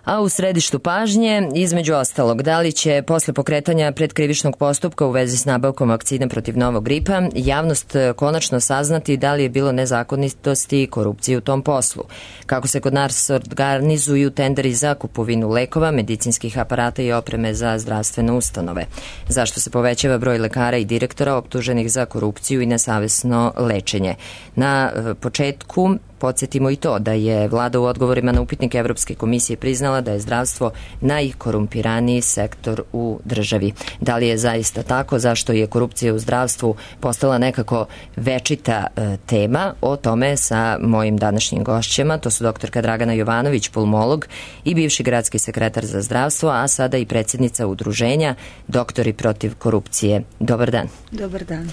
A u središtu pažnje, između ostalog, da li će posle pokretanja predkrivičnog postupka u vezi s nabavkom vakcina protiv novog gripa javnost konačno saznati da li je bilo nezakonitosti i korupcije u tom poslu, kako se kod nas organizuju tenderi za kupovinu lekova, medicinskih aparata i opreme za zdravstvene ustanove, zašto se povećava broj lekara i direktora optuženih za korupciju i nesavesno lečenje. Na početku podsjetimo i to da je vlada u odgovorima na upitnik Evropske komisije priznala da je zdravstvo najkorumpiraniji sektor u državi. Da li je zaista tako? Zašto je korupcija u zdravstvu postala nekako večita tema? O tome sa mojim današnjim gošćama. To su doktorka Dragana Jovanović, pulmolog i bivši gradski sekretar za zdravstvo, a sada i predsjednica udruženja Doktori protiv korupcije. Dobar dan. Dobar dan.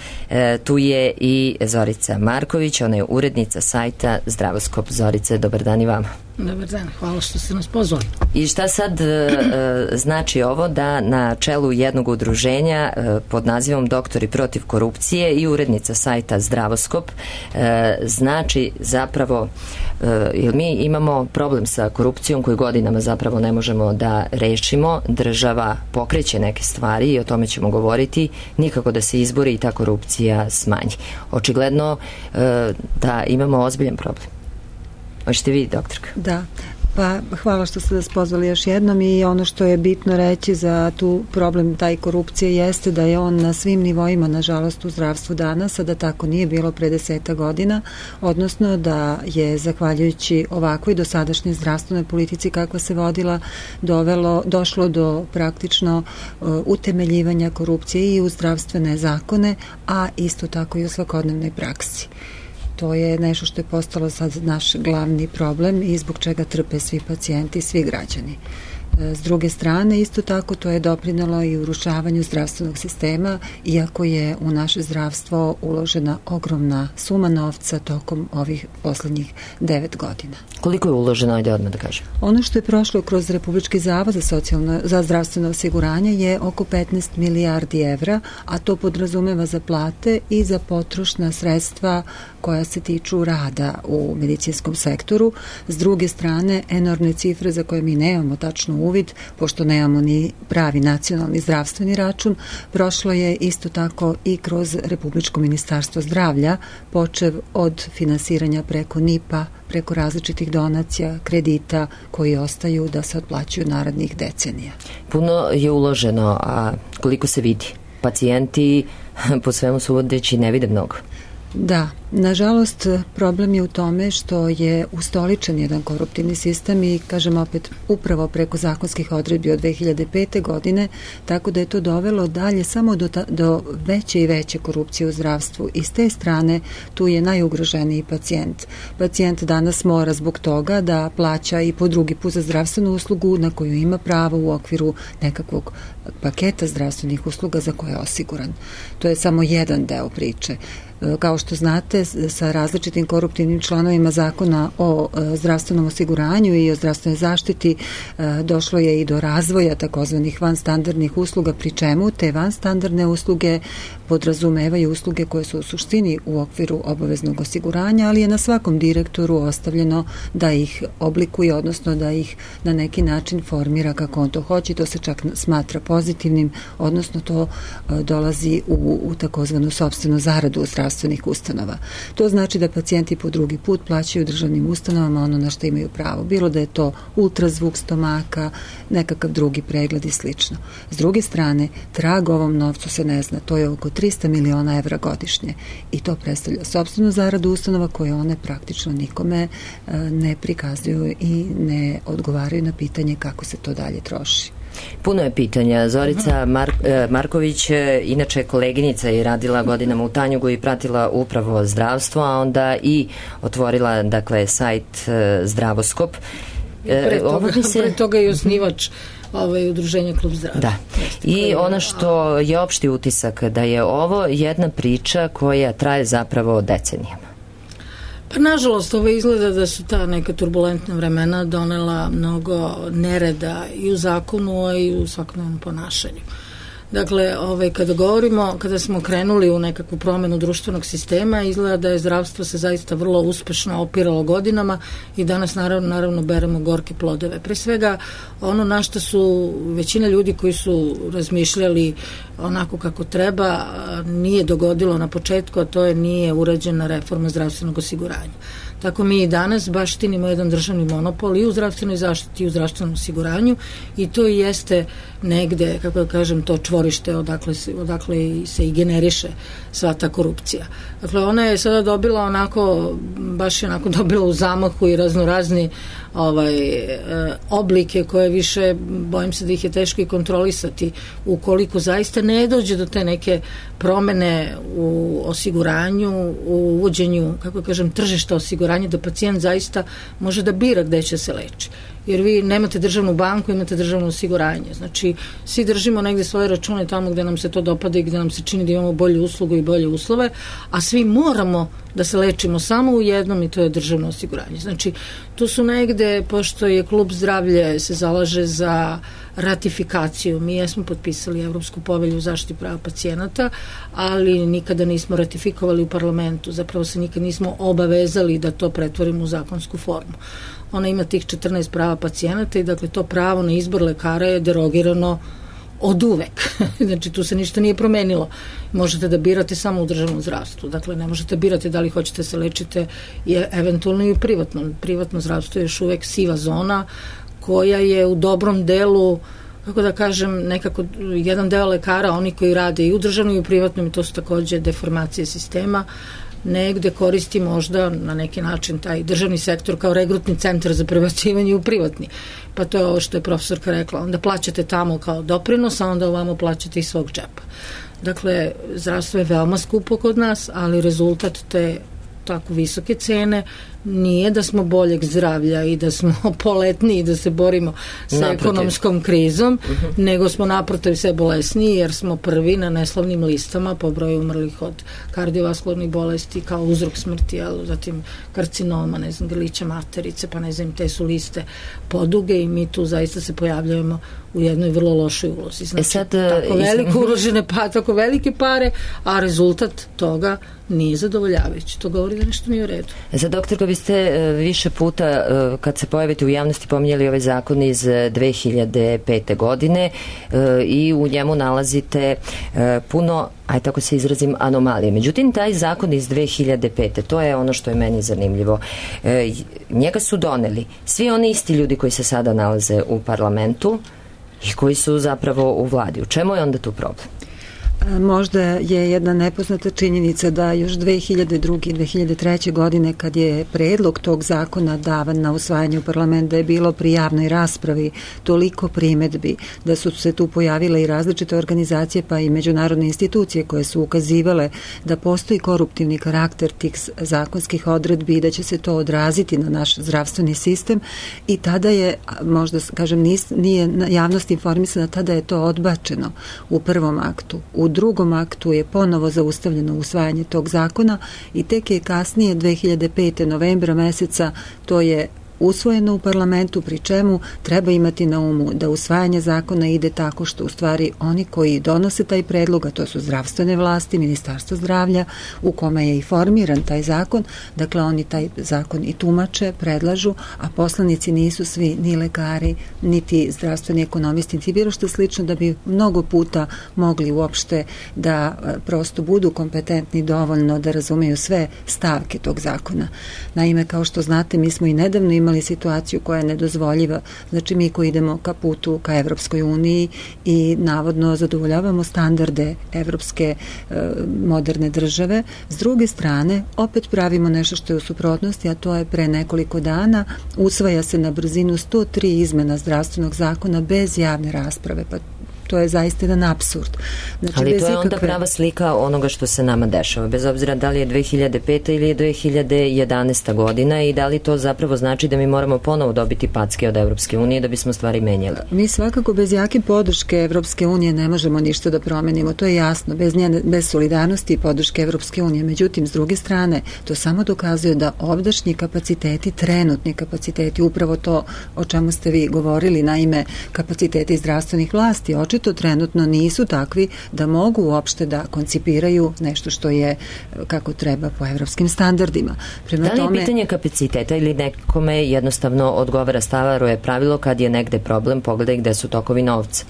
Tu je i Zorica Marković, ona je urednica sajta Zdravoskop. Zorice, dobar dan i vama. Dobar dan, hvala što ste nas pozvali. I šta sad znači ovo da na čelu jednog udruženja pod nazivom Doktori protiv korupcije i urednica sajta Zdravoskop znači zapravo, jer mi imamo problem sa korupcijom koju godinama zapravo ne možemo da rešimo, država pokreće neke stvari i o tome ćemo govoriti, nikako da se izbori i ta korupcija smanji. Očigledno da imamo ozbiljan problem. Hoćete vi, doktorka? Da, pa hvala što ste nas pozvali još jednom i ono što je bitno reći za tu problem taj korupcije jeste da je on na svim nivoima, nažalost, u zdravstvu danas, a da tako nije bilo pre 10 godina, odnosno da je zahvaljujući ovakvoj dosadašnjoj zdravstvenoj politici kakva se vodila došlo do praktično utemeljivanja korupcije i u zdravstvene zakone, a isto tako i u svakodnevnoj praksi. To je nešto što je postalo sad naš glavni problem i zbog čega trpe svi pacijenti, svi građani. S druge strane, isto tako, to je doprinelo i urušavanju zdravstvenog sistema, iako je u naše zdravstvo uložena ogromna suma novca tokom ovih poslednjih 9 godina. Koliko je uloženo, ajde odmah da kažem? Ono što je prošlo kroz Republički zavod za zdravstveno osiguranje je oko 15 milijardi evra, a to podrazumeva za plate i za potrošna sredstva koja se tiču rada u medicinskom sektoru. S druge strane, enormne cifre za koje mi nemamo tačno uvid, pošto nemamo ni pravi nacionalni zdravstveni račun, prošlo je isto tako i kroz Republičko ministarstvo zdravlja, počev od finansiranja preko NIP-a, preko različitih donacija, kredita koji ostaju da se otplaćuju narednih decenija. Puno je uloženo, a koliko se vidi? Pacijenti po svemu sudeći ne vide mnogo. Da, nažalost problem je u tome što je ustoličen jedan koruptivni sistem i kažem opet upravo preko zakonskih odredbi od 2005. godine, tako da je to dovelo dalje samo do veće i veće korupcije u zdravstvu i s te strane tu je najugroženiji pacijent. Pacijent danas mora zbog toga da plaća i po drugi put za zdravstvenu uslugu na koju ima pravo u okviru nekakvog paketa zdravstvenih usluga za koje je osiguran. To je samo jedan deo priče. Kao što znate, sa različitim koruptivnim članovima zakona o zdravstvenom osiguranju i o zdravstvenoj zaštiti došlo je i do razvoja takozvanih vanstandardnih usluga, pri čemu te vanstandardne usluge podrazumevaju usluge koje su u suštini u okviru obaveznog osiguranja, ali je na svakom direktoru ostavljeno da ih oblikuje, odnosno da ih na neki način formira kako on to hoće. To se čak smatra pozitivnim, odnosno to dolazi u takozvanu sopstvenu zaradu u zdravstvenih ustanova. To znači da pacijenti po drugi put plaćaju državnim ustanovama ono na što imaju pravo. Bilo da je to ultrazvuk stomaka, nekakav drugi pregled i slično. S druge strane, trag ovom novcu se ne zna. To je oko 300 miliona evra godišnje i to predstavlja sopstvenu zaradu ustanova koje one praktično nikome ne prikazuju i ne odgovaraju na pitanje kako se to dalje troši. Puno je pitanja. Zorica Marković, inače koleginica je radila godinama u Tanjugu i pratila upravo zdravstvo, a onda i otvorila, dakle, sajt Zdravoskop. Pre toga je osnivač udruženja Klub zdravlja. Da. I ono što je opšti utisak da je ovo jedna priča koja traje zapravo decenijama. Pa nažalost, ovo izgleda da su ta neka turbulentna vremena donela mnogo nereda i u zakonu, a i u svakodnevnom ponašanju. Dakle, kada smo krenuli u nekakvu promenu društvenog sistema, izgleda da je zdravstvo se zaista vrlo uspešno opiralo godinama i danas naravno beremo gorke plodove. Pre svega, ono na što su većina ljudi koji su razmišljali onako kako treba, nije dogodilo na početku, a to je nije urađena reforma zdravstvenog osiguranja. Tako mi i danas baštinimo jedan državni monopol i u zdravstvenoj zaštiti i u zdravstvenom osiguranju i to i jeste negde, kako da kažem, to čvorište odakle se i generiše sva ta korupcija. Dakle, ona je sada dobila baš je dobila u zamahu i raznorazni oblike koje više, bojim se da ih je teško i kontrolisati ukoliko zaista ne dođe do te neke promene u osiguranju, u uvođenju, kako kažem, tržišta osiguranja, da pacijent zaista može da bira gde će se leči. Jer vi nemate državnu banku, imate državno osiguranje. Znači, svi držimo negde svoje račune tamo gde nam se to dopada i gde nam se čini da imamo bolju uslugu i bolje uslove, a svi moramo da se lečimo samo u jednom i to je državno osiguranje. Znači, tu su negde, pošto je Klub zdravlje se zalaže za ratifikaciju. Mi jesmo potpisali Evropsku povelju o zaštiti prava pacijenata, ali nikada nismo ratifikovali u parlamentu. Zapravo se nikad nismo obavezali da to pretvorimo u zakonsku formu. Ona ima tih 14 prava pacijenata i dakle to pravo na izbor lekara je derogirano od uvek. Znači tu se ništa nije promenilo. Možete da birate samo u državnom zdravstvu. Dakle ne možete birati da li hoćete se lečite eventualno i u privatnom. Privatno zdravstvo je još uvek siva zona koja je u dobrom delu, kako da kažem, nekako jedan deo lekara, oni koji rade i u državnom i u privatnom, i to su takođe deformacije sistema, negde koristi možda na neki način taj državni sektor kao regrutni centar za prebacivanje u privatni. Pa to je ovo što je profesorka rekla. Onda plaćate tamo kao doprinos, a onda ovamo plaćate iz svog džepa. Dakle, zdravstvo je veoma skupo kod nas, ali rezultat te tako visoke cene nije da smo boljeg zdravlja i da smo poletni i da se borimo sa ekonomskom krizom, nego smo naprotiv sve bolesniji jer smo prvi na neslavnim listama po broju umrlih od kardiovaskularnih bolesti kao uzrok smrti, ali zatim karcinoma, grlića materice, pa te su liste poduge i mi tu zaista se pojavljujemo u jednoj vrlo lošoj ulozi. Znači, tako veliko uložene tako velike pare, a rezultat toga nije zadovoljavajući. To govori da nešto nije u redu. Doktorka, vi ste više puta kad se pojavite u javnosti pominjali ovaj zakon iz 2005. godine i u njemu nalazite puno, aj tako se izrazim, anomalije. Međutim, taj zakon iz 2005. to je ono što je meni zanimljivo. Njega su doneli svi oni isti ljudi koji se sada nalaze u parlamentu i koji su zapravo u vladi. U čemu je onda tu problem? Možda je jedna nepoznata činjenica da još 2002. i 2003. godine kad je predlog tog zakona davan na usvajanje u parlament, da je bilo pri javnoj raspravi toliko primedbi, da su se tu pojavile i različite organizacije pa i međunarodne institucije koje su ukazivale da postoji koruptivni karakter tih zakonskih odredbi i da će se to odraziti na naš zdravstveni sistem i tada je, možda kažem, nije javnost informisana, tada je to odbačeno u prvom aktu. U drugom aktu je ponovo zaustavljeno usvajanje tog zakona i tek je kasnije 2005. novembra meseca to je usvojeno u parlamentu, pri čemu treba imati na umu da usvajanje zakona ide tako što u stvari oni koji donose taj predlog, a to su zdravstvene vlasti, Ministarstvo zdravlja, u kome je i formiran taj zakon, dakle oni taj zakon i tumače, predlažu, a poslanici nisu svi ni lekari, niti zdravstveni ekonomisti, niti bilo što slično da bi mnogo puta mogli uopšte da prosto budu kompetentni dovoljno da razumeju sve stavke tog zakona. Naime, kao što znate, mi smo i nedavno imali situaciju koja je nedozvoljiva. Znači mi koji idemo ka putu ka Evropskoj uniji i navodno zadovoljavamo standarde evropske moderne države, s druge strane opet pravimo nešto što je u suprotnosti, a to je pre nekoliko dana usvaja se na brzinu 103 izmena zdravstvenog zakona bez javne rasprave, pa to je zaista jedan apsurd. Znači, ali to je onda prava slika onoga što se nama dešava, bez obzira da li je 2005. ili je 2011. godina i da li to zapravo znači da mi moramo ponovo dobiti packe od Evropske unije da bismo stvari menjali. Mi svakako bez jake podrške Evropske unije ne možemo ništa da promenimo, to je jasno, bez solidarnosti i podrške Evropske unije. Međutim, s druge strane, to samo dokazuje da ovdašnji kapaciteti, trenutni kapaciteti, upravo to o čemu ste vi govorili, naime kapaciteti zdravstvenih vlasti, očito očito trenutno nisu takvi da mogu uopšte da koncipiraju nešto što je kako treba po evropskim standardima. Da li je pitanje kapaciteta ili nekome jednostavno odgovara staro je pravilo kad je negde problem, pogledaj gde su tokovi novca?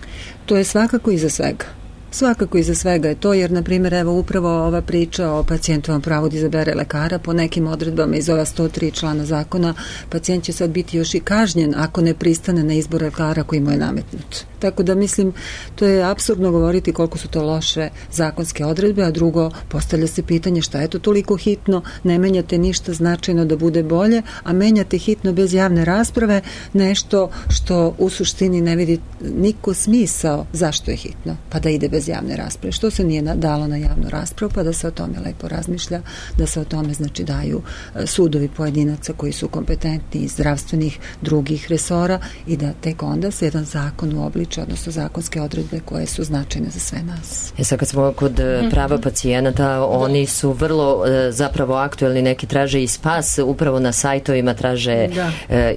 To je svakako iza svega. Svakako iza svega je to, jer, na primjer, evo upravo ova priča o pacijentovom pravu da izabere lekara, po nekim odredbama iz ova 103 člana zakona, pacijent će sad biti još i kažnjen ako ne pristane na izbor lekara koji mu je nametnut. Tako da mislim, to je apsurdno govoriti koliko su to loše zakonske odredbe, a drugo, postavlja se pitanje šta je to toliko hitno, ne menjate ništa značajno da bude bolje, a menjate hitno bez javne rasprave nešto što u suštini ne vidi niko smisao zašto je hitno, pa da ide bez javne rasprave. Što se nije dalo na javnu raspravu, pa da se o tome lepo razmišlja, da se o tome znači daju sudovi pojedinaca koji su kompetentni iz zdravstvenih drugih resora i da tek onda se jedan zakon uobliči, odnosno zakonske odredbe koje su značajne za sve nas. Sad kad smo kod prava pacijenata, oni su vrlo zapravo aktuelni, neki traže i spas, upravo na sajtovima traže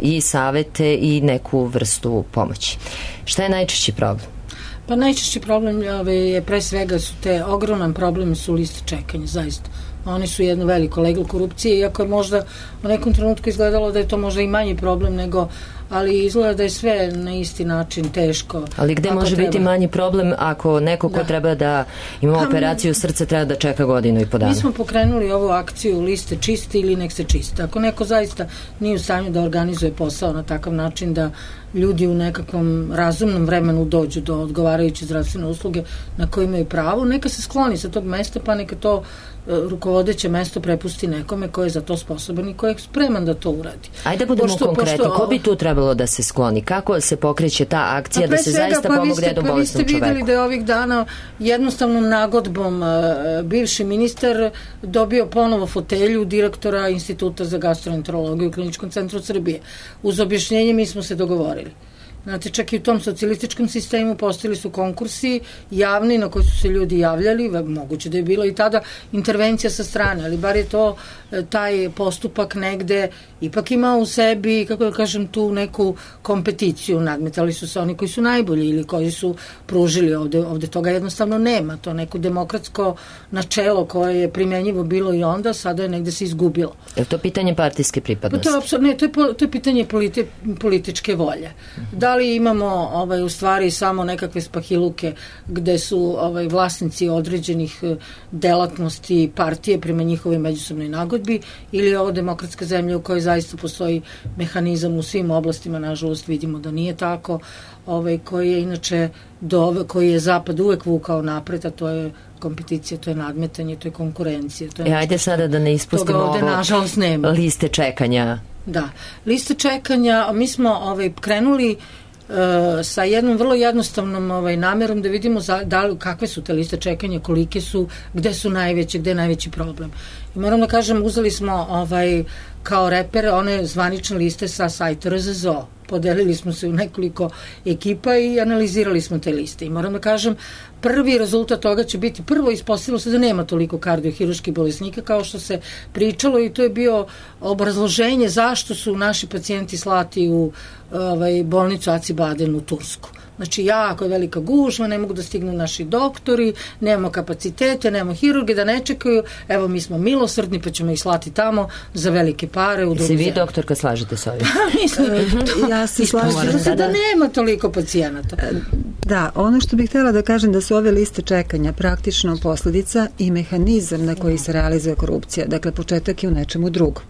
i savete i neku vrstu pomoći. Šta je najčešći problem? Pa najčešći problem je pre svega su te ogroman problem su liste čekanja, zaista. Oni su jedno veliko leglo korupcije, iako je možda u nekom trenutku izgledalo da je to možda i manji problem nego, ali izgleda da je sve na isti način teško. Ali gde može biti manji problem ako neko ko treba da ima operaciju srca treba da čeka godinu i po dana? Mi smo pokrenuli ovu akciju liste čiste ili nek se čiste. Ako neko zaista nije u stanju da organizuje posao na takav način da ljudi u nekakvom razumnom vremenu dođu do odgovarajuće zdravstvene usluge na koje imaju pravo, neka se skloni sa tog mesta, pa neka to rukovodeće mesto prepusti nekome ko je za to sposoban i ko je spreman da to uradi. Ajde budemo konkretni, ko bi tu trebalo da se skloni? Kako se pokreće ta akcija da se zaista pomogne jednom bolesnom čoveku? Vi ste videli da je ovih dana jednostavnom nagodbom bivši ministar dobio ponovo fotelju direktora Instituta za gastroenterologiju u Kliničkom centru Srbije. Uz objašnjenje mi smo se dogovorili. Znate, čak i u tom socijalističkom sistemu postojali su konkursi javni na koji su se ljudi javljali, moguće da je bilo i tada intervencija sa strane, ali bar je to taj postupak negde ipak imao u sebi, kako da kažem, tu neku kompeticiju, nadmetali su se oni koji su najbolji ili koji su pružili, ovde toga jednostavno nema, to neko demokratsko načelo koje je primenjivo bilo i onda, sada je negde se izgubilo. Je to pitanje partijske pripadnosti? To je pitanje političke volje. Da li imamo u stvari samo nekakve spahiluke gde su vlasnici određenih delatnosti partije prema njihovoj međusobnoj nagodbi ili je ovo demokratska zemlja u kojoj zaista postoji mehanizam u svim oblastima, nažalost vidimo da nije tako, koji je inače koji je Zapad uvek vukao napred, a to je kompeticija, to je nadmetanje, to je konkurencija. Ajde sada da ne ispustimo ovo liste čekanja. Da, liste čekanja, mi smo krenuli sa jednom vrlo jednostavnom namerom da vidimo kakve su te liste čekanja, kolike su, gde su najveće, gde je najveći problem. I moram da kažem, uzeli smo kao reper one zvanične liste sa sajta RZZO. Podelili smo se u nekoliko ekipa i analizirali smo te liste. I moram da kažem, prvi rezultat toga će biti, prvo ispostavilo se da nema toliko kardiohiruških bolesnika kao što se pričalo i to je bio obrazloženje zašto su naši pacijenti slati u bolnicu Acıbadem u Tursku. Znači, jako je velika gužva, ne mogu da stignu naši doktori, nemamo kapacitete, nemamo hirurge da ne čekaju, evo mi smo milosrdni pa ćemo ih slati tamo za velike pare u drugu zemlju. Se vi, doktorka, slažete s ovim? Mislim, ja se slažem da nema toliko pacijenata. Da, ono što bih htjela da kažem da su ove liste čekanja praktično posledica i mehanizam na koji se realizuje korupcija. Dakle, početak je u nečemu drugom.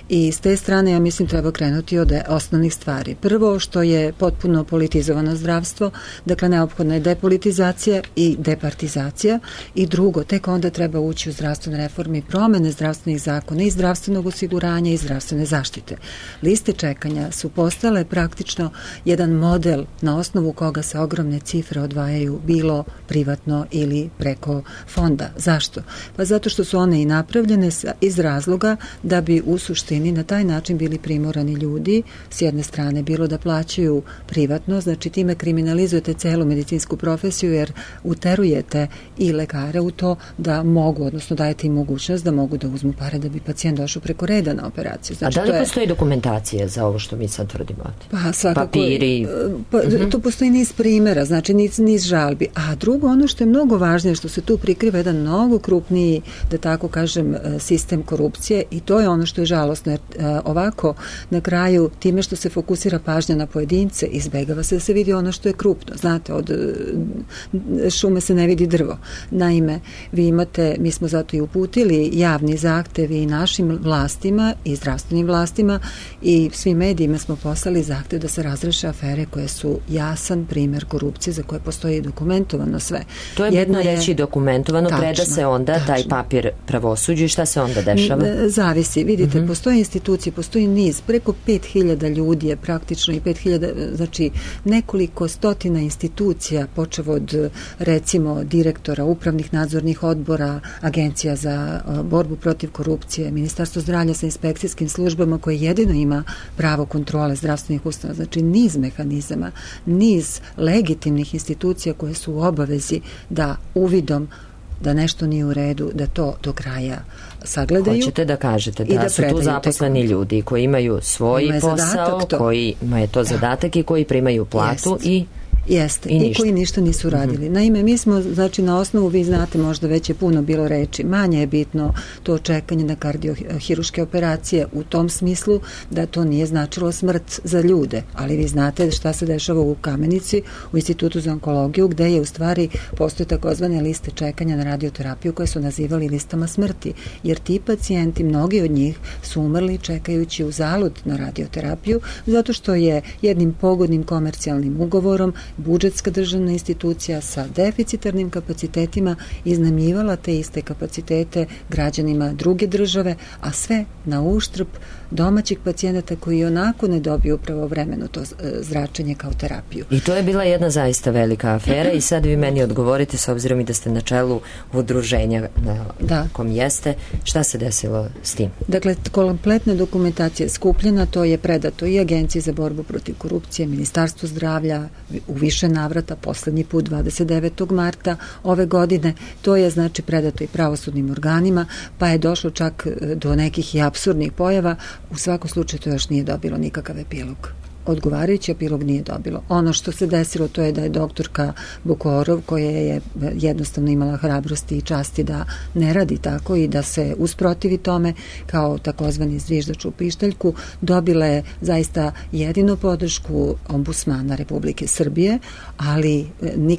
I s te strane, ja mislim, treba krenuti od osnovnih stvari. Prvo, što je potpuno politizovano zdravstvo, dakle, neophodna je depolitizacija i departizacija i drugo, tek onda treba ući u zdravstvene reforme i promene zdravstvenih zakona i zdravstvenog osiguranja i zdravstvene zaštite. Liste čekanja su postale praktično jedan model na osnovu koga se ogromne cifre odvajaju bilo privatno ili preko fonda. Zašto? Pa zato što su one i napravljene iz razloga da bi u suštini na taj način bili primorani ljudi s jedne strane bilo da plaćaju privatno, znači time kriminaliziraju kriminalizujete celu medicinsku profesiju jer uterujete i lekare u to da mogu, odnosno dajete im mogućnost da mogu da uzmu pare da bi pacijent došao preko reda na operaciju. Znači, a da li postoji dokumentacija za ovo što mi sad tvrdimo? Pa svakako. Papiri? Tu postoji niz primjera, znači niz žalbi. A drugo, ono što je mnogo važnije, što se tu prikriva jedan mnogo krupniji, da tako kažem, sistem korupcije, i to je ono što je žalosno, jer ovako na kraju time što se fokusira pažnja na pojedince, izbegava se da se vidi ono što je krupno. Znate, od šume se ne vidi drvo. Naime, vi imate, mi smo zato i uputili javni zahtev i našim vlastima i zdravstvenim vlastima i svim medijima smo poslali zahtev da se razreše afere koje su jasan primjer korupcije za koje postoji dokumentovano sve. To je bitno reći dokumentovano, preda se onda taj papir pravosuđu i šta se onda dešava? Zavisi. Vidite, postoje institucije, postoji niz, preko 5000 ljudi je praktično i 5000, znači nekoliko stotina institucija, počev od recimo direktora, upravnih nadzornih odbora, agencija za borbu protiv korupcije, Ministarstvo zdravlja sa inspekcijskim službama koje jedino ima pravo kontrole zdravstvenih ustanova, znači niz mehanizama, niz legitimnih institucija koje su u obavezi da uvidom da nešto nije u redu, da to do kraja sagledaju. Hoćete da kažete da su tu zaposleni ljudi koji imaju svoj posao, kojima je to zadatak i koji primaju platu i koji ništa nisu radili. Naime, mi smo, znači na osnovu, vi znate, možda već je puno bilo reči, manje je bitno to čekanje na kardiohiruške operacije u tom smislu da to nije značilo smrt za ljude, ali vi znate šta se dešava u Kamenici, u Institutu za onkologiju, gde je u stvari postoje takozvane liste čekanja na radioterapiju koje su nazivali listama smrti, jer ti pacijenti, mnogi od njih su umrli čekajući u zalud na radioterapiju, zato što je jednim pogodnim komercijalnim ugovorom budžetska državna institucija sa deficitarnim kapacitetima iznajmljivala te iste kapacitete građanima druge države, a sve na uštrb domaćih pacijenata koji onako ne dobiju pravovremeno to zračenje kao terapiju. I to je bila jedna zaista velika afera i sad vi meni odgovorite, s obzirom i da ste na čelu udruženja na kom jeste, šta se desilo s tim? Dakle, kompletna dokumentacija je skupljena, to je predato i Agenciji za borbu protiv korupcije, Ministarstvo zdravlja u više navrata, poslednji put 29. marta ove godine, to je znači predato i pravosudnim organima, pa je došlo čak do nekih i apsurdnih pojava. U svakom slučaju to još nije dobilo nikakav epilog. Odgovarajući epilog nije dobilo. Ono što se desilo to je da je doktorka Bukorov, koja je jednostavno imala hrabrosti i časti da ne radi tako i da se usprotivi tome kao takozvani zviždač u pištaljku, dobila je zaista jedinu podršku ombudsmana Republike Srbije, ali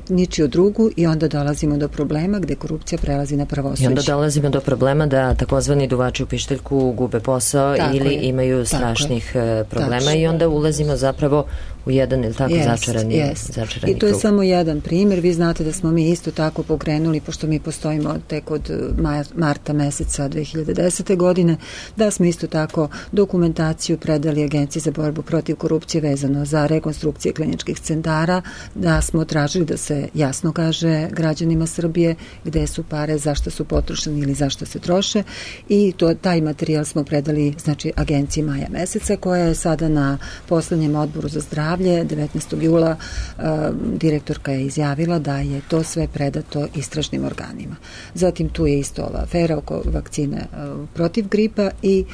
ničiju drugu, i onda dolazimo do problema gde korupcija prelazi na pravosuđe. I onda dolazimo do problema da takozvani duvači u pištaljku gube posao ili imaju strašnih problema i onda ulazimo zapravo u jedan ili tako začarani I to je samo jedan primjer. Vi znate da smo mi isto tako pokrenuli, pošto mi postojimo tek od marta meseca 2010. godine, da smo isto tako dokumentaciju predali Agenciji za borbu protiv korupcije vezano za rekonstrukcije kliničkih centara, da smo tražili da se jasno kaže građanima Srbije gde su pare, zašto su potrošeni ili zašto se troše, i taj materijal smo predali znači Agenciji maja meseca, koja je sada na poslednjem odboru za zdravlje 19. jula direktorka je izjavila da je to sve predato istražnim organima. Zatim tu je isto ova afera oko vakcine protiv gripa i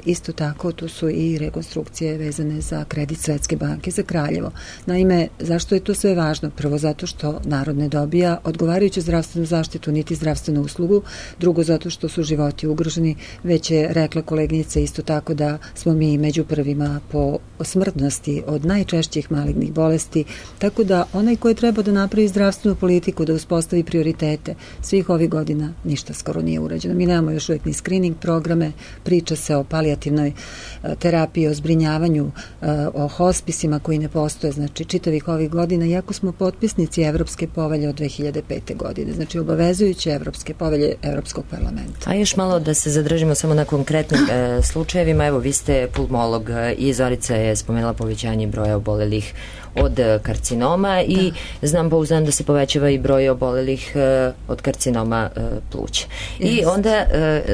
isto tako tu su i rekonstrukcije vezane za kredit Svetske banke za Kraljevo. Naime, zašto je to sve važno? Prvo zato što narod ne dobija odgovarajuću zdravstvenu zaštitu niti zdravstvenu uslugu, drugo zato što su životi ugroženi, već je rekla koleginica isto tako da smo mi među prvima po smrtnosti od najčešćih malignih bolesti, tako da onaj koji treba da napravi zdravstvenu politiku, da uspostavi prioritete, svih ovih godina ništa skoro nije urađeno. Mi nemamo još uvijek ni screening programe, priča se o palijativnoj terapiji, o zbrinjavanju, o hospisima koji ne postoje, znači čitavih ovih godina, iako smo potpisnici Evropske povelje od 2005. godine, znači obavezujuće Evropske povelje Evropskog parlamenta. A još malo da se zadržimo samo na konkretnim slučajevima. Evo, vi ste pulmolog i Zorica je spomenula povećanje broja broja obolelih od karcinoma i znam pouzdano da se povećava i broj obolelih od karcinoma pluća. I onda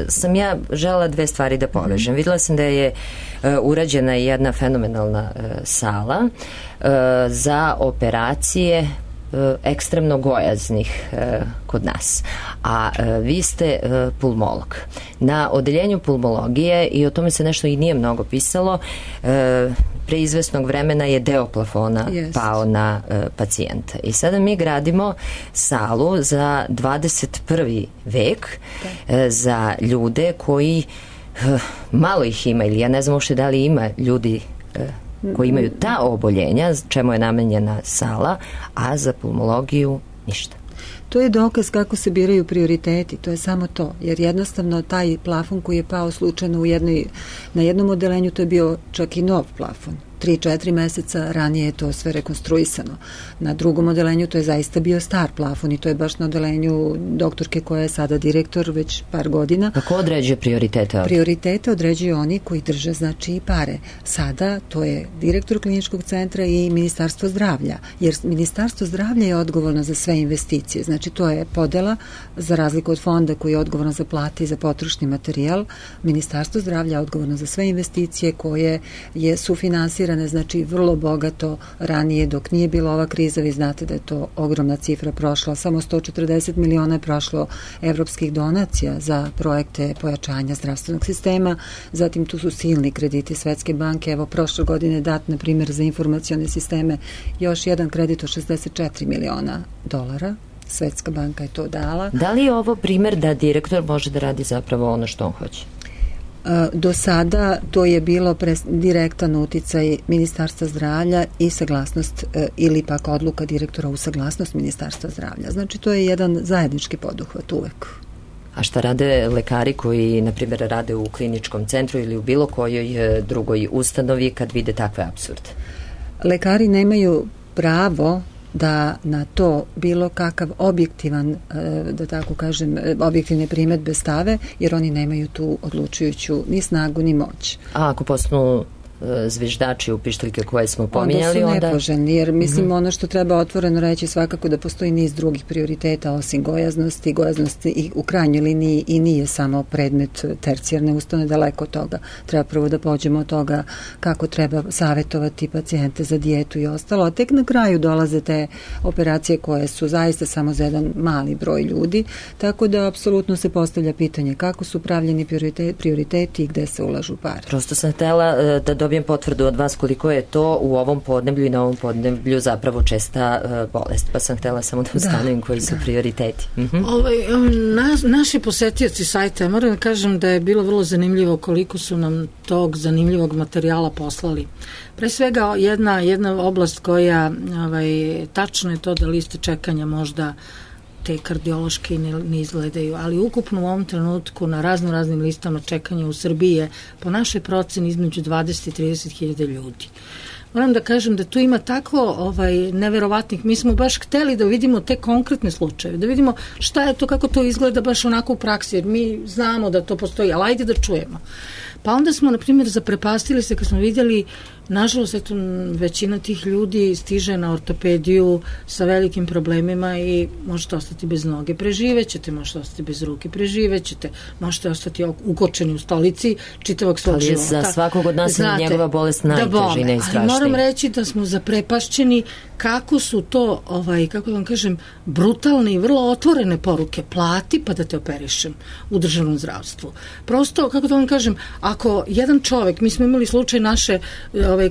sam ja želela dve stvari da povežem. Videla sam da je urađena jedna fenomenalna sala za operacije ekstremno gojaznih kod nas. A vi ste pulmolog. Na odeljenju pulmologije, i o tome se nešto i nije mnogo pisalo, pre izvesnog vremena je deo plafona pao na pacijenta. I sada mi gradimo salu za 21. vek za ljude koji malo ih ima, ili ja ne znam uopšte da li ima ljudi koji imaju ta oboljenja, čemu je namenjena sala, a za pulmologiju ništa. To je dokaz kako se biraju prioriteti, to je samo to, jer jednostavno taj plafon koji je pao slučajno na jednom odelenju, to je bio čak i nov plafon. 3-4 meseca ranije je to sve rekonstruisano. Na drugom odelenju to je zaista bio star plafon i to je baš na odelenju doktorke koja je sada direktor već par godina. Kako određuje prioritete ovdje? Prioritete određuju oni koji drže znači i pare. Sada to je direktor kliničkog centra i Ministarstvo zdravlja, jer Ministarstvo zdravlja je odgovorno za sve investicije. Znači to je podela, za razliku od fonda koji je odgovorno za plate i za potrošni materijal. Ministarstvo zdravlja je odgovorno za sve investicije koje su finansirane, znači vrlo bogato ranije dok nije bila ova kriza. Vi znate da je to ogromna cifra prošla, samo 140 miliona je prošlo evropskih donacija za projekte pojačanja zdravstvenog sistema, zatim tu su silni krediti Svetske banke, evo prošle godine dat na primjer za informacione sisteme još jedan kredit od 64 miliona dolara. Svetska banka je to dala. Da li je ovo primjer da direktor može da radi zapravo ono što on hoće? Do sada to je bilo direktan uticaj Ministarstva zdravlja i saglasnost ili pak odluka direktora u saglasnost Ministarstva zdravlja. Znači to je jedan zajednički poduhvat uvek. A šta rade lekari koji, na primjer, rade u kliničkom centru ili u bilo kojoj drugoj ustanovi kad vide takve apsurde? Lekari nemaju pravo da na to bilo kakav objektivan, da tako kažem, objektivne primedbe stave, jer oni nemaju tu odlučujuću ni snagu ni moć. A ako postanu zviždači u pištaljke koje smo pominjali, onda su nepoželjni, jer mislim ono što treba otvoreno reći svakako da postoji niz drugih prioriteta osim gojaznosti. Gojaznost i u krajnjoj liniji i nije samo predmet tercijarne ustanove, daleko od toga. Treba prvo da pođemo od toga kako treba savjetovati pacijente za dijetu i ostalo, a tek na kraju dolaze te operacije koje su zaista samo za jedan mali broj ljudi, tako da apsolutno se postavlja pitanje kako su pravljeni prioriteti i gde se ulažu pare. Prosto sam htela da dobijem potvrdu od vas koliko je to u ovom podneblju i na ovom podneblju zapravo česta bolest, pa sam htjela samo da ustanovim koji su prioriteti. Naši posetioci sajta, moram da kažem da je bilo vrlo zanimljivo koliko su nam tog zanimljivog materijala poslali. Pre svega jedna oblast koja tačno je to da liste čekanja možda te kardiološke ne izgledaju, ali ukupno u ovom trenutku na raznim listama čekanja u Srbiji je po našoj proceni između 20 i 30 hiljada ljudi. Moram da kažem da tu ima tako neverovatnih, mi smo baš hteli da vidimo te konkretne slučajeve, da vidimo šta je to, kako to izgleda baš onako u praksi, jer mi znamo da to postoji, ali ajde da čujemo. Pa onda smo, na primjer, zaprepastili se kad smo vidjeli, nažalost, eto, većina tih ljudi stiže na ortopediju sa velikim problemima i možete ostati bez noge, preživećete, možete ostati bez ruke, preživećete, možete ostati ukočeni u stolici čitavog svog života. Ali za svakog od nas je njegova bolest najteža i najstrašnija. Ali moram reći da smo zaprepašćeni kako su to, kako da vam kažem, brutalne i vrlo otvorene poruke. Plati pa da te operišem u državnom zdravstvu. Prosto, kako da vam kažem, ako jedan čovek, mi smo imali slučaj naše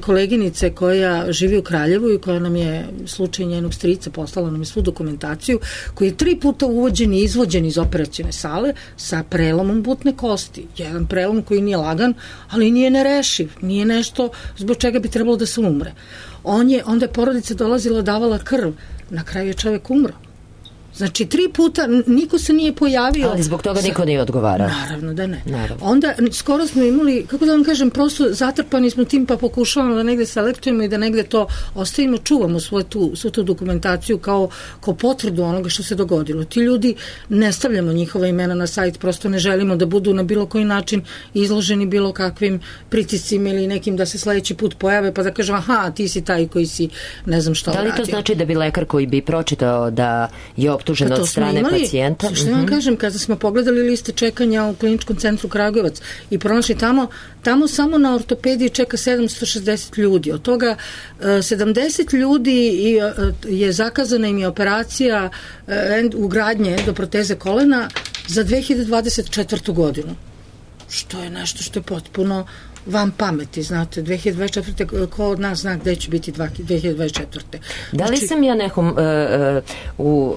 koleginice koja živi u Kraljevu i koja nam je slučaj njenog strica, poslala nam je svu dokumentaciju, koji je 3 puta uvođen i izvođen iz operacione sale sa prelomom butne kosti. Jedan prelom koji nije lagan, ali nije nerešiv, nije nešto zbog čega bi trebalo da se umre. Onda je porodica dolazila, davala krv, na kraju je čovek umro. Znači 3 puta niko se nije pojavio. Ali zbog toga niko nije odgovarao. Naravno da ne. Naravno. Onda skoro smo imali, kako da vam kažem, prosto zatrpani smo tim, pa pokušavamo da negde selektujemo i da negde to ostavimo, čuvamo svu tu dokumentaciju kao potvrdu onoga što se dogodilo. Ti ljudi, ne stavljamo njihova imena na sajt, prosto ne želimo da budu na bilo koji način izloženi bilo kakvim pritiscima ili nekim da se sledeći put pojave pa da kažem aha, ti si taj koji si ne znam šta uradio. Da li to znači da bi lekar koji bi pročitao da je optužen od strane pacijenta? Što vam kažem, kada smo pogledali liste čekanja u Kliničkom centru Kragujevac i pronašli tamo samo na ortopediji čeka 760 ljudi. Od toga 70 ljudi je zakazana im je operacija ugradnje endoproteze kolena za 2024. godinu. Što je nešto što je potpuno van pameti, znate, 2024. ko od nas zna gde će biti 2024. Da li sam ja nekom u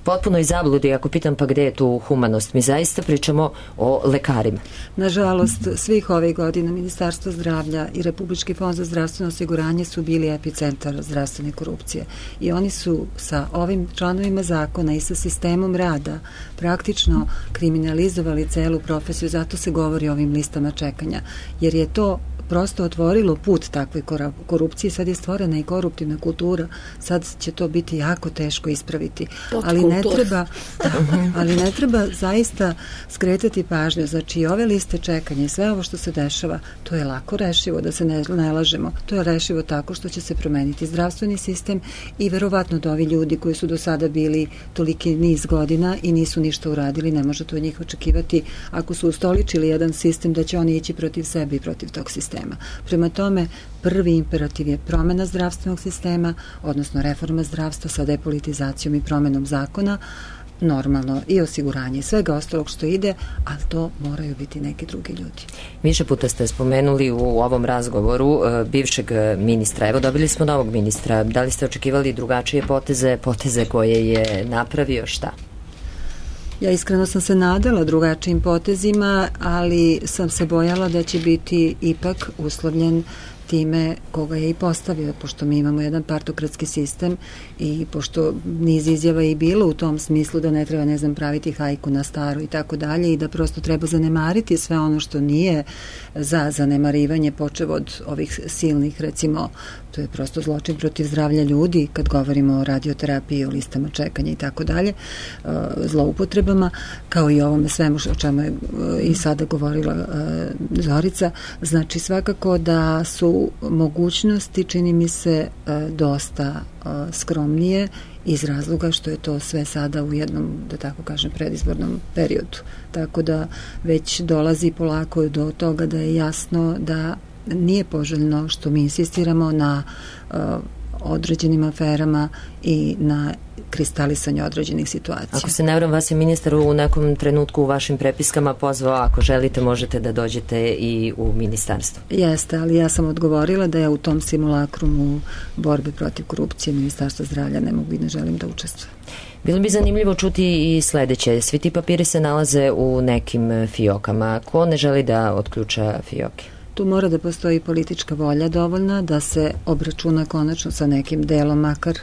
potpunoj zabludi ako pitam pa gde je tu humanost? Mi zaista pričamo o lekarima. Nažalost, svih ovih godina Ministarstvo zdravlja i Republički fond za zdravstveno osiguranje su bili epicentar zdravstvene korupcije i oni su sa ovim članovima zakona i sa sistemom rada praktično kriminalizovali celu profesiju, zato se govori o ovim listama čekanja, jer je to prosto otvorilo put takvoj korupciji, sad je stvorena i koruptivna kultura, sad će to biti jako teško ispraviti, ali ne treba zaista skretati pažnju, znači ove liste čekanja i sve ovo što se dešava, to je lako rešivo, da se ne lažemo, to je rešivo tako što će se promeniti zdravstveni sistem i verovatno da ovi ljudi koji su do sada bili toliki niz godina i nisu ništa uradili, ne možete od njih očekivati ako su ustoličili jedan sistem da će oni ići protiv sebe i protiv tog sistema. Prema tome, prvi imperativ je promena zdravstvenog sistema, odnosno reforma zdravstva sa depolitizacijom i promenom zakona, normalno i osiguranje svega ostalog što ide, ali to moraju biti neki drugi ljudi. Više puta ste spomenuli u ovom razgovoru bivšeg ministra. Evo, dobili smo novog ministra. Da li ste očekivali drugačije poteze koje je napravio, šta? Ja iskreno sam se nadala drugačijim potezima, ali sam se bojala da će biti ipak uslovljen time koga je i postavio, pošto mi imamo jedan partokratski sistem i pošto niz izjava je i bilo u tom smislu da ne treba, ne znam, praviti hajku na staru i tako dalje i da prosto treba zanemariti sve ono što nije za zanemarivanje, počev od ovih silnih, recimo, to je prosto zločin protiv zdravlja ljudi, kad govorimo o radioterapiji, o listama čekanja i tako dalje, zloupotrebama, kao i ovome svemu o čemu je i sada govorila Zorica. Znači, svakako da su mogućnosti, čini mi se, dosta skromnije iz razloga što je to sve sada u jednom, da tako kažem, predizbornom periodu. Tako da već dolazi polako do toga da je jasno da nije poželjno što mi insistiramo na određenim aferama i na kristalisanje određenih situacija. Ako se ne varam, vas je ministar u nekom trenutku u vašim prepiskama pozvao, ako želite možete da dođete i u ministarstvo. Jeste, ali ja sam odgovorila da ja u tom simulakrumu borbe protiv korupcije Ministarstva zdravlja ne mogu i ne želim da učestvujem. Bilo bi zanimljivo čuti i sledeće. Svi ti papiri se nalaze u nekim fiokama. Ko ne želi da otključa fioke? Tu mora da postoji politička volja dovoljna da se obračuna konačno sa nekim delom, makar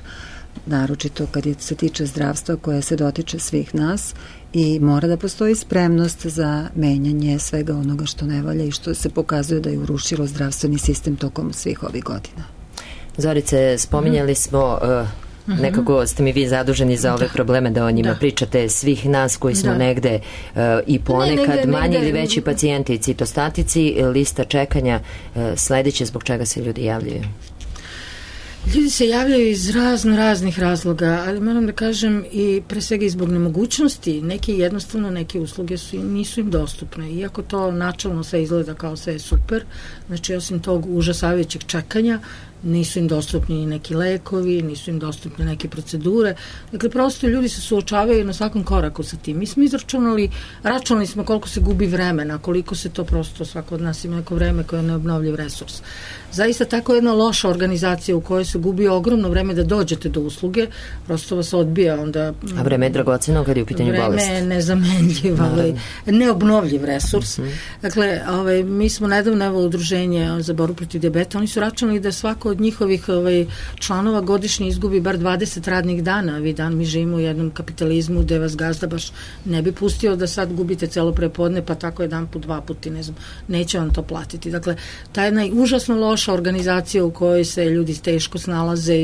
naročito kad se tiče zdravstva koje se dotiče svih nas, i mora da postoji spremnost za menjanje svega onoga što ne valja i što se pokazuje da je urušilo zdravstveni sistem tokom svih ovih godina. Zorice, spominjali smo nekako ste mi vi zaduženi za ove probleme da o njima pričate, svih nas koji smo negde i ponekad manji ili veći pacijenti i citostatici, lista čekanja sledeće, zbog čega se ljudi javljaju? Ljudi se javljaju iz raznih razloga, ali moram da kažem i pre svega i zbog nemogućnosti. Neke usluge nisu im dostupne, iako to načalno sve izgleda kao sve je super, znači osim tog užasavajućeg čekanja nisu im dostupni neki lekovi, nisu im dostupne neke procedure. Dakle, prosto ljudi se suočavaju na svakom koraku sa tim. Mi smo računali smo koliko se gubi vremena, koliko se to prosto, svako od nas ima neko vreme koje je neobnovljiv resurs. Zaista tako jedna loša organizacija u kojoj se gubi ogromno vreme da dođete do usluge, prosto vas odbija onda... A vreme je dragoceno kad je u pitanju bolest. Vreme je nezamenljiv, neobnovljiv resurs. Dakle, mi smo nedavno udruženje za borbu protiv dijabeta, oni su računali da svako od njihovih članova godišnje izgubi bar 20 radnih dana. Mi živimo u jednom kapitalizmu gde vas gazda baš ne bi pustio da sad gubite celo prepodne, pa tako jedan put, dva puta, ne znam, neće vam to platiti. Dakle, ta jedna užasno loša organizacija u kojoj se ljudi teško snalaze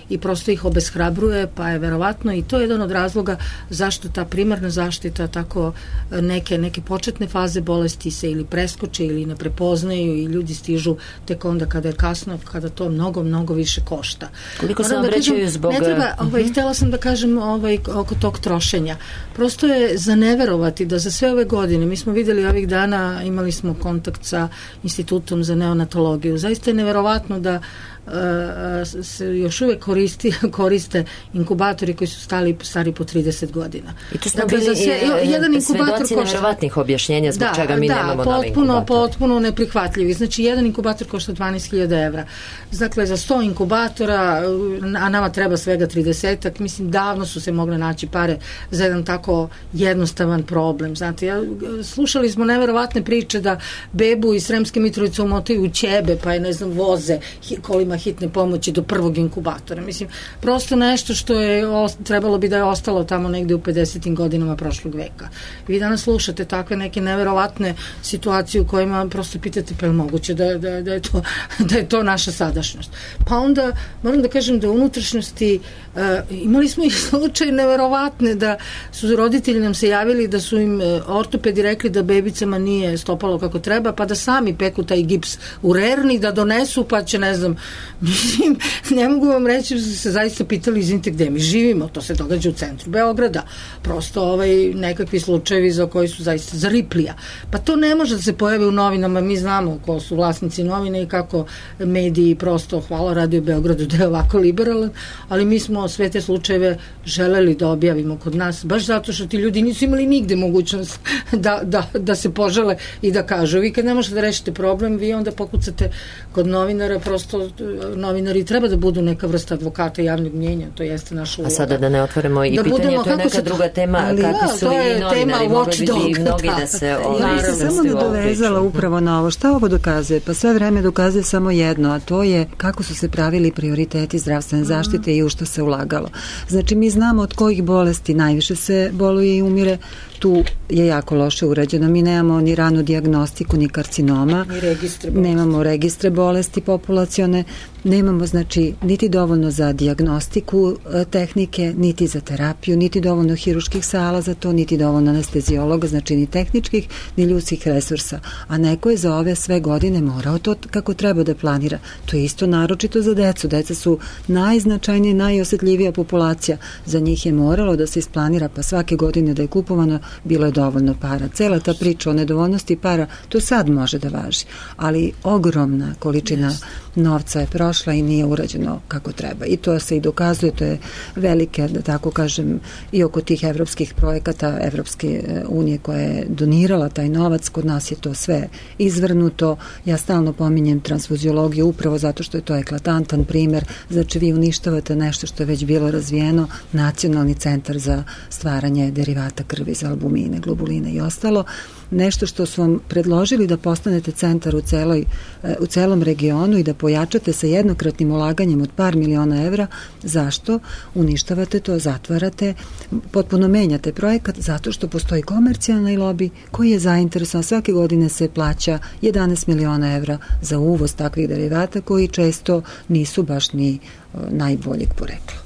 i prosto ih obeshrabruje, pa je verovatno i to je jedan od razloga zašto ta primarna zaštita tako neke početne faze bolesti se ili preskoče ili ne prepoznaju i ljudi stižu tek onda kada je kasno, kada to mnogo više košta. Koliko se obraćaju zbog... Ne treba, htjela sam da kažem oko tog trošenja. Prosto je za neverovati da za sve ove godine, mi smo videli ovih dana, imali smo kontakt sa Institutom za neonatologiju. Zaista je neverovatno da se još uvek koriste inkubatori koji su stari po 30 godina. I tu smo bili svedoci neverovatnih objašnjenja zbog čega mi nemamo nove inkubatore. Potpuno neprihvatljivi. Znači, jedan inkubator košta 12.000 evra. Dakle, za 100 inkubatora, a nama treba svega 30-ak, mislim, davno su se mogle naći pare za jedan tako jednostavan problem. Znate, slušali smo neverovatne priče da bebu iz Sremske Mitrovice umotaju u ćebe, pa je, ne znam, voze kolima hitne pomoći do prvog inkubatora. Mislim, prosto nešto što je trebalo bi da je ostalo tamo negde u 50. godinama prošlog veka. Vi danas slušate takve neke neverovatne situacije u kojima prosto pitate pa je moguće da je to naša sadašnjost. Pa onda moram da kažem da u unutrašnjosti imali smo i slučaj neverovatne da su roditelji nam se javili da su im ortopedi rekli da bebicama nije stopalo kako treba, pa da sami peku taj gips u rerni, da donesu, pa će, ne znam, mislim, ne mogu vam reći da su se zaista pitali, izvinite, gde mi živimo, to se događa u centru Beograda, prosto nekakvi slučajevi za koji su zaista za Riplija. Pa to ne može da se pojavi u novinama, mi znamo ko su vlasnici novine i kako mediji prosto, hvala Radio Beogradu da je ovako liberalan, ali mi smo sve te slučajeve želeli da objavimo kod nas, baš zato što ti ljudi nisu imali nigde mogućnost da se požale i da kažu. Vi kad ne možete da rešite problem, vi onda pokucate kod novinara, prosto novinari treba da budu neka vrsta advokata javnog mnjenja, to jeste naša uloga. A sada da ne otvorimo i pitanje, to je neka druga tema, kakvi su i novinari, mogli bi mnogi da se samo da dovezala upravo na ovo. Šta ovo dokazuje? Pa sve vreme dokazuje samo jedno, a to je kako su se pravili prioriteti zdravstvene zaštite i u što se ulagalo. Znači, mi znamo od kojih bolesti najviše se boluje i umire, tu je jako loše urađeno. Mi nemamo ni ranu dijagnostiku, ni karcinoma, nemamo registre bolesti populacione, nemamo, znači, niti dovoljno za dijagnostiku tehnike, niti za terapiju, niti dovoljno hiruških sala za to, niti dovoljno anestezijologa, znači ni tehničkih, ni ljudskih resursa. A neko je za ove sve godine morao to kako treba da planira. To je isto naročito za decu. Deca su najznačajnija, najosjetljivija populacija. Za njih je moralo da se isplanira, pa svake godine da je kupovano, bilo je dovoljno para. Cela ta priča o nedovoljnosti para, to sad može da važi. Ali ogromna količina novca je prošla i nije urađeno kako treba. I to se i dokazuje, to je velike, da tako kažem, i oko tih evropskih projekata Evropske unije koja je donirala taj novac, kod nas je to sve izvrnuto. Ja stalno pominjem transfuziologiju upravo zato što je to eklatantan primer. Znači, vi uništavate nešto što je već bilo razvijeno, Nacionalni centar za stvaranje derivata krvi za albumine, globuline i ostalo. Nešto što su vam predložili da postanete centar u celom regionu i da pojačate sa jednokratnim ulaganjem od par miliona evra. Zašto? Uništavate to, zatvarate, potpuno menjate projekat zato što postoji komercijalni lobi koji je zainteresovan. Svake godine se plaća 11 miliona evra za uvoz takvih derivata koji često nisu baš ni najboljeg porekla.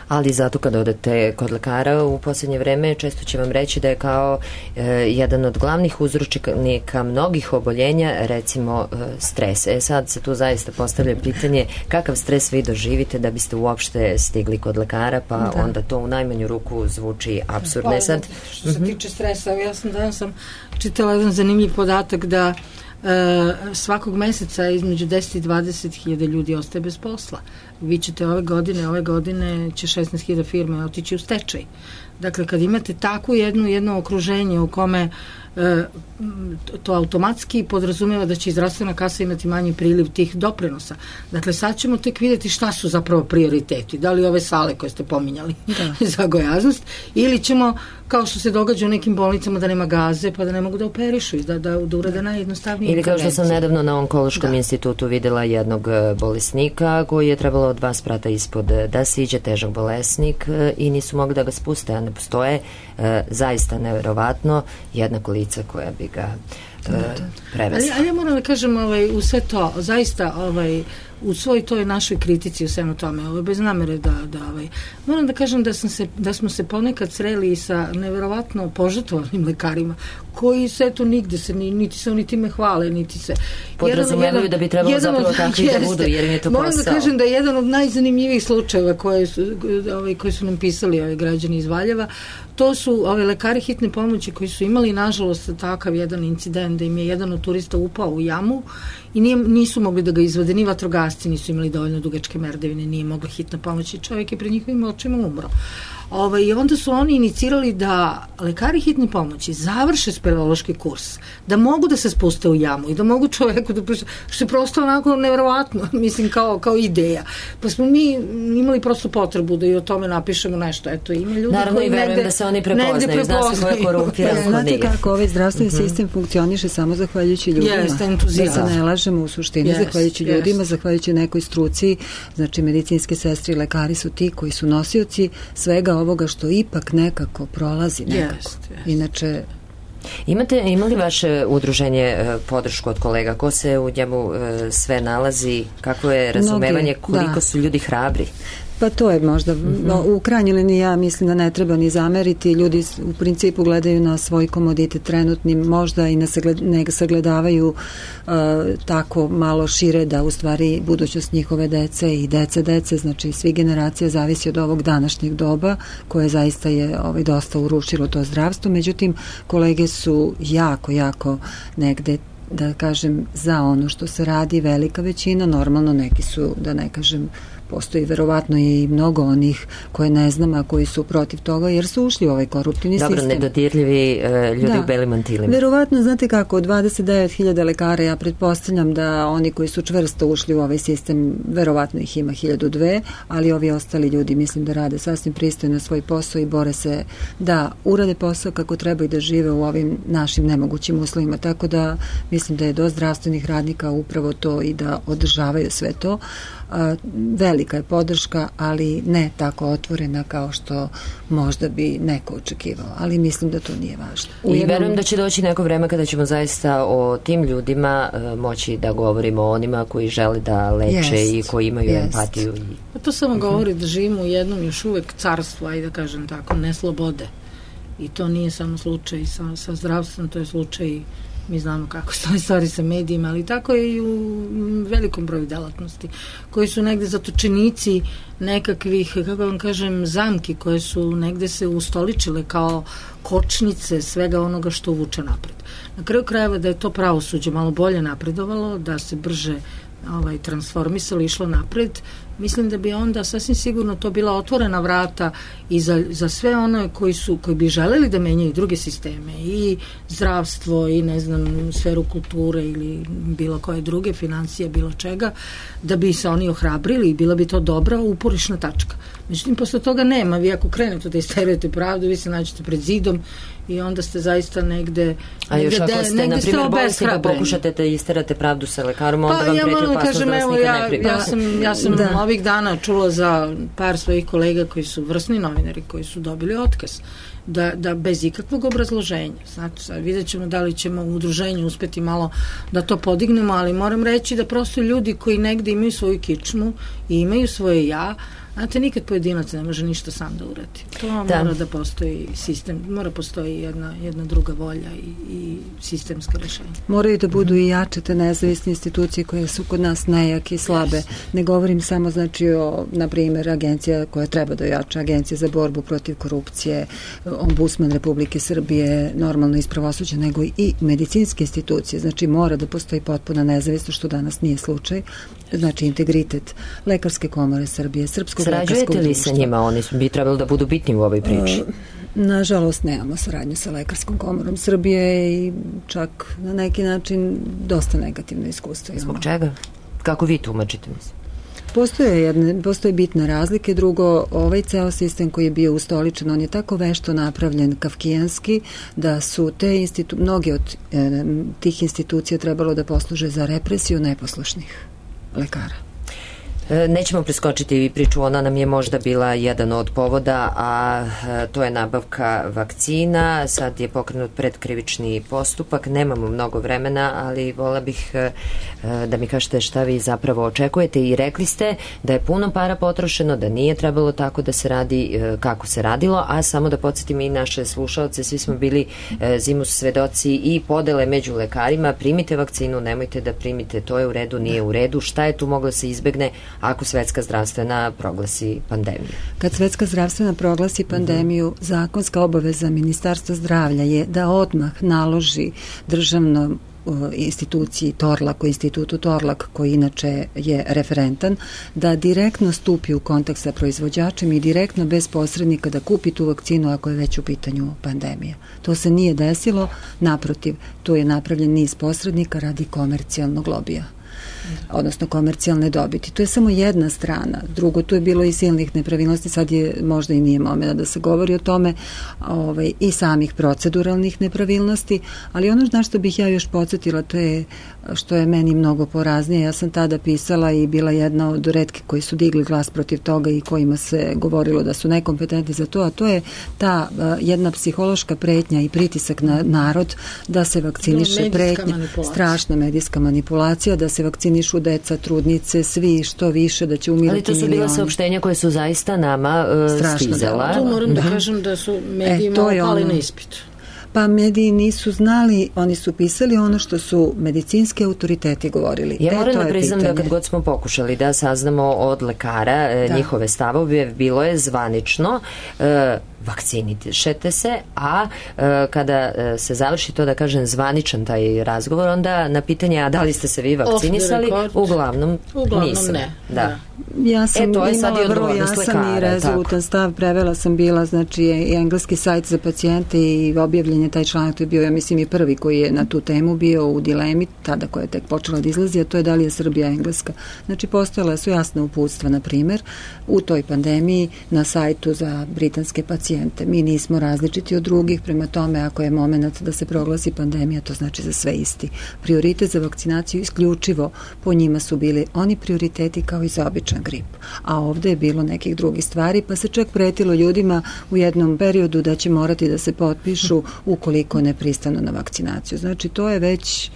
Ali zato kada odete kod lekara u posljednje vreme često će vam reći da je kao jedan od glavnih uzročnika mnogih oboljenja recimo stres. Sad se tu zaista postavlja pitanje kakav stres vi doživite da biste uopšte stigli kod lekara, pa onda to u najmanju ruku zvuči apsurdno. Što se tiče stresa, ja sam danas čitala jedan zanimljiv podatak da svakog meseca između 10 i 20 hiljada ljudi ostaje bez posla. vi ćete ove godine će 16.000 firme otići u stečaj. Dakle, kad imate takvu jedno okruženje u kome to automatski podrazumijeva da će zdravstvena kasa imati manji priliv tih doprinosa. Dakle, sad ćemo tek vidjeti šta su zapravo prioriteti. Da li ove sale koje ste pominjali za gojaznost, ili ćemo, kao što se događa u nekim bolnicama, da nema gaze, pa da ne mogu da operišu, da urade najjednostavnije ili kao što sam nedavno na Onkološkom institutu videla jednog bolesnika koji je trebalo od 2 sprata ispod da siđe, težak bolesnik, i nisu mogli da ga spuste, a ne postoje zaista neverovatno jednako lice koja bi ga prevesla. Ali ja moram da kažem, u sve to, zaista u svoj toj našoj kritici u svemu tome, bez namere moram da kažem da smo se ponekad sreli sa neverovatno požrtvovanim lekarima koji se eto nigde se niti se oni time hvale, niti se podrazumevaju da bi trebalo zapravo takvi da budu, jer im je to posao. Moram da kažem da je jedan od najzanimljivijih slučajeva koji su nam pisali građani iz Valjeva, to su lekari hitne pomoći koji su imali nažalost takav jedan incident da im je jedan od turista upao u jamu i nisu mogli da ga izvode, ni vatrogasci nisu imali dovoljno dugačke merdevine, nije mogla hitna pomoć i čovjek je pred njihovim očima umro. I onda su oni inicirali da lekari hitne pomoći završe speleološki kurs, da mogu da se spuste u jamu i da mogu čoveku da što je prosto onako neverovatno, mislim kao ideja. Pa smo mi imali prosto potrebu da i o tome napišemo nešto. Eto, ima ljudi naravno koji i verujem da se oni prepoznaju, zna se ko je korumpiran. Znate kako ovaj zdravstveni sistem funkcioniše samo zahvaljujući ljudima. Da se ne lažemo u suštini, zahvaljujući ljudima, zahvaljujući nekoj struci, znači medicinske sestre i lekari su ti koji su nosioci svega ovoga što ipak nekako prolazi nekako. Inače... Ima li vaše udruženje podršku od kolega? Ko se u njemu sve nalazi? Kako je razumevanje? Koliko su ljudi hrabri? Pa to je možda, u krajnjoj liniji ja mislim da ne treba ni zameriti, ljudi u principu gledaju na svoj komoditet trenutni, možda i ne sagledavaju tako malo šire da u stvari budućnost njihove dece i dece, znači svi generacija zavisi od ovog današnjeg doba koje zaista je dosta urušilo to zdravstvo, međutim kolege su jako negde, da kažem, za ono što se radi, velika većina, normalno neki su, da ne kažem, postoji verovatno i mnogo onih koje ne znam, a koji su protiv toga, jer su ušli u ovaj koruptivni sistem. Dobro, nedodirljivi ljudi u belim mantilima. Verovatno, znate kako, od 29.000 lekara, ja pretpostavljam da oni koji su čvrsto ušli u ovaj sistem, verovatno ih ima 1.002, ali ovi ostali ljudi mislim da rade sasvim pristojno svoj posao i bore se da urade posao kako treba i da žive u ovim našim nemogućim uslovima, tako da mislim da je do zdravstvenih radnika upravo to i da održavaju sve to. Velika je podrška, ali ne tako otvorena kao što možda bi neko očekivao, ali mislim da to nije važno. I verujem da će doći neko vreme kada ćemo zaista o tim ljudima moći da govorimo o onima koji žele da leče i koji imaju empatiju. Pa to samo govori da živimo u jednom još uvek carstvu, ajde da kažem tako, neslobode. I to nije samo slučaj sa zdravstvom, to je slučaj, mi znamo kako stoji stvari sa medijima, ali tako je i u velikom broju delatnosti, koji su negde zatočenici nekakvih, kako vam kažem, zamki koje su negde se ustoličile kao kočnice svega onoga što vuče napred. Na kraju krajeva da je to pravosuđe malo bolje napredovalo, da se brže transformisalo, išlo napred, mislim da bi onda sasvim sigurno to bila otvorena vrata i za sve one koji bi želeli da menjaju druge sisteme i zdravstvo i ne znam sferu kulture ili bilo koje druge financije, bilo čega, da bi se oni ohrabrili i bila bi to dobra uporišna tačka. Međutim, posle toga nema. Vi ako krenete da isterujete pravdu, vi se nađete pred zidom i onda ste zaista negde... A još ako ste, na primjer, bolesni pa pokušate da isterate pravdu sa lekarom, onda vam preti opasnost da vas nikad ne primi. Ja sam ovih dana čula za par svojih kolega koji su vrsni novinari, koji su dobili otkaz, da bez ikakvog obrazloženja. Znači, sad vidjet ćemo da li ćemo u udruženju uspeti malo da to podignemo, ali moram reći da prosto ljudi koji negde imaju svoju kičmu i imaju svoje ja, znate, nikad pojedinac ne može ništa sam da uradi. To mora da postoji sistem, mora postoji jedna druga volja i sistemska rešenja. Moraju da budu i jače te nezavisne institucije koje su kod nas nejake i slabe. Ne govorim samo, znači, o, na primjer, agencija koja treba da jača, Agencija za borbu protiv korupcije, Ombudsman Republike Srbije, normalno iz pravosuđa, nego i medicinske institucije. Znači, mora da postoji potpuna nezavisnost, što danas nije slučaj, znači integritet Lekarske komore Srbije, Srpskog lekarskog društva. Sarađujete li sa njima? Oni bi trebali da budu bitni u ovoj priči. Nažalost, nemamo saradnju sa Lekarskom komorom Srbije i čak na neki način dosta negativno iskustvo imamo. Zbog čega? Kako vi tumačite, mislim? Postoje bitne razlike. Drugo, ovaj ceo sistem koji je bio ustoličen, on je tako vešto napravljen kafkijanski da su mnogi od tih institucija trebalo da posluže za represiju neposlušnih lekara. Nećemo preskočiti priču, ona nam je možda bila jedan od povoda, a to je nabavka vakcina. Sad je pokrenut predkrivični postupak, nemamo mnogo vremena, ali vola bih da mi kažete šta vi zapravo očekujete i rekli ste da je puno para potrošeno, da nije trebalo tako da se radi kako se radilo, a samo da podsjetim i naše slušalce, svi smo bili zimus svedoci i podele među lekarima, primite vakcinu, nemojte da primite, to je u redu, nije u redu, šta je tu moglo se izbegne ako Svetska zdravstvena proglasi pandemiju? Kad Svetska zdravstvena proglasi pandemiju, zakonska obaveza Ministarstva zdravlja je da odmah naloži državnom instituciji Torlak, institutu Torlak, koji inače je referentan, da direktno stupi u kontakt sa proizvođačem i direktno bez posrednika da kupi tu vakcinu ako je već u pitanju pandemija. To se nije desilo, naprotiv, tu je napravljen niz posrednika radi komercijalnog lobija, odnosno komercijalne dobiti. To je samo jedna strana. Drugo, tu je bilo i silnih nepravilnosti, sad je možda i nije momena da se govori o tome, i samih proceduralnih nepravilnosti, ali ono na što bih ja još podsjetila, to je što je meni mnogo poraznije. Ja sam tada pisala i bila jedna od retkih koji su digli glas protiv toga i kojima se govorilo da su nekompetentni za to, a to je ta jedna psihološka pretnja i pritisak na narod da se vakciniše, pretnja, strašna medijska manipulacija, da se vakcinišu deca, trudnice, svi što više, da će umirati milioni. Ali to su bila saopštenja koje su zaista nama stizala. Tu moram da kažem da su mediji malo pali na ispitu. Pa mediji nisu znali, oni su pisali ono što su medicinski autoriteti govorili. Ja moram da priznam da kad god smo pokušali da saznamo od lekara njihove stavove, bilo je zvanično vakcinišete se, a kada se završi to, da kažem, zvaničan taj razgovor, onda na pitanje, a da li ste se vi vakcinisali, uglavnom nisam. Ne. Da. Ja sam imala vrlo jasan i rezolutan stav, prevela sam bila, znači, i engleski sajt za pacijente i objavljen je taj članak, to je bio, ja mislim, i prvi koji je na tu temu bio u dilemi, tada koja je tek počela da izlazi, a to je da li je Srbija engleska. Znači, postojala su jasna uputstva, na primer, u toj pandemiji na sajtu za britanske pacijente. Mi nismo različiti od drugih, prema tome ako je moment da se proglasi pandemija, to znači za sve isti. Prioritet za vakcinaciju isključivo po njima su bili oni prioriteti kao i za običan grip. A ovde je bilo nekih drugih stvari, pa se čak pretilo ljudima u jednom periodu da će morati da se potpišu ukoliko ne pristanu na vakcinaciju. Znači to je već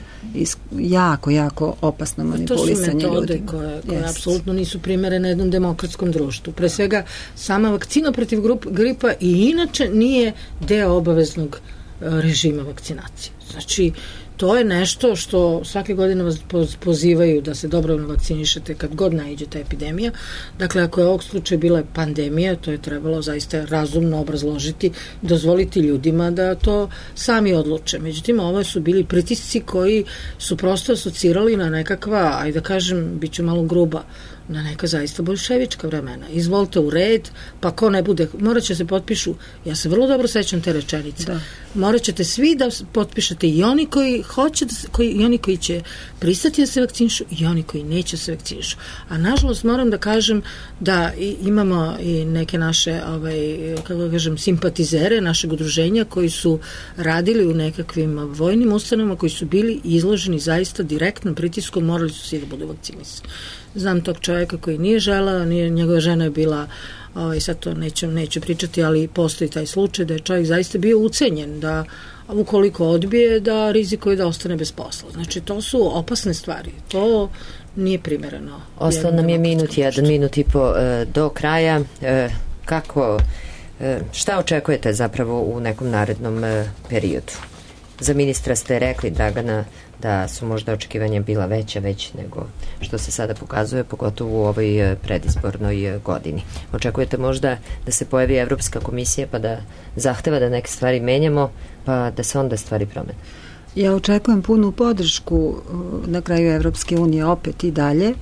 jako opasno manipulisanje ljudima. To su metode koje apsolutno nisu primerene jednom demokratskom društvu. Pre svega, sama vakcina protiv gripa i inače nije deo obaveznog režima vakcinacije. Znači, to je nešto što svake godine vas pozivaju da se dobrovoljno vakcinišete kad god naiđe ta epidemija. Dakle, ako je ovog slučaja bila pandemija, to je trebalo zaista razumno obrazložiti, dozvoliti ljudima da to sami odluče. Međutim, ovo su bili pritisci koji su prosto asocirali na nekakva, ajde da kažem, bit ću malo gruba, na neka zaista bolševička vremena. Izvolite u red, pa ko ne bude, morat će se potpišu, ja se vrlo dobro sećam te rečenice, morat ćete svi da potpišete, i oni koji hoće i oni koji će pristati da se vakcinišu i oni koji neće se vakcinišu. A nažalost moram da kažem da imamo i neke naše kako kažem, simpatizere našeg udruženja koji su radili u nekakvim vojnim ustanovama, koji su bili izloženi zaista direktnom pritiskom, morali su svi da budu vakcinisani. Znam tog čovjeka koji nije želeo, njegova žena je bila, sad to neću pričati, ali postoji taj slučaj da je čovjek zaista bio ucenjen, da ukoliko odbije da rizikuje da ostane bez posla. Znači to su opasne stvari, to nije primereno. Ostao nam je minut i po do kraja. Šta očekujete zapravo u nekom narednom periodu? Za ministra ste rekli, Dragana, da su možda očekivanja bila veća nego što se sada pokazuje, pogotovo u ovoj predizbornoj godini. Očekujete možda da se pojavi Evropska komisija pa da zahteva da neke stvari menjamo, pa da se onda stvari promene? Ja očekujem punu podršku na kraju Evropske unije opet i dalje,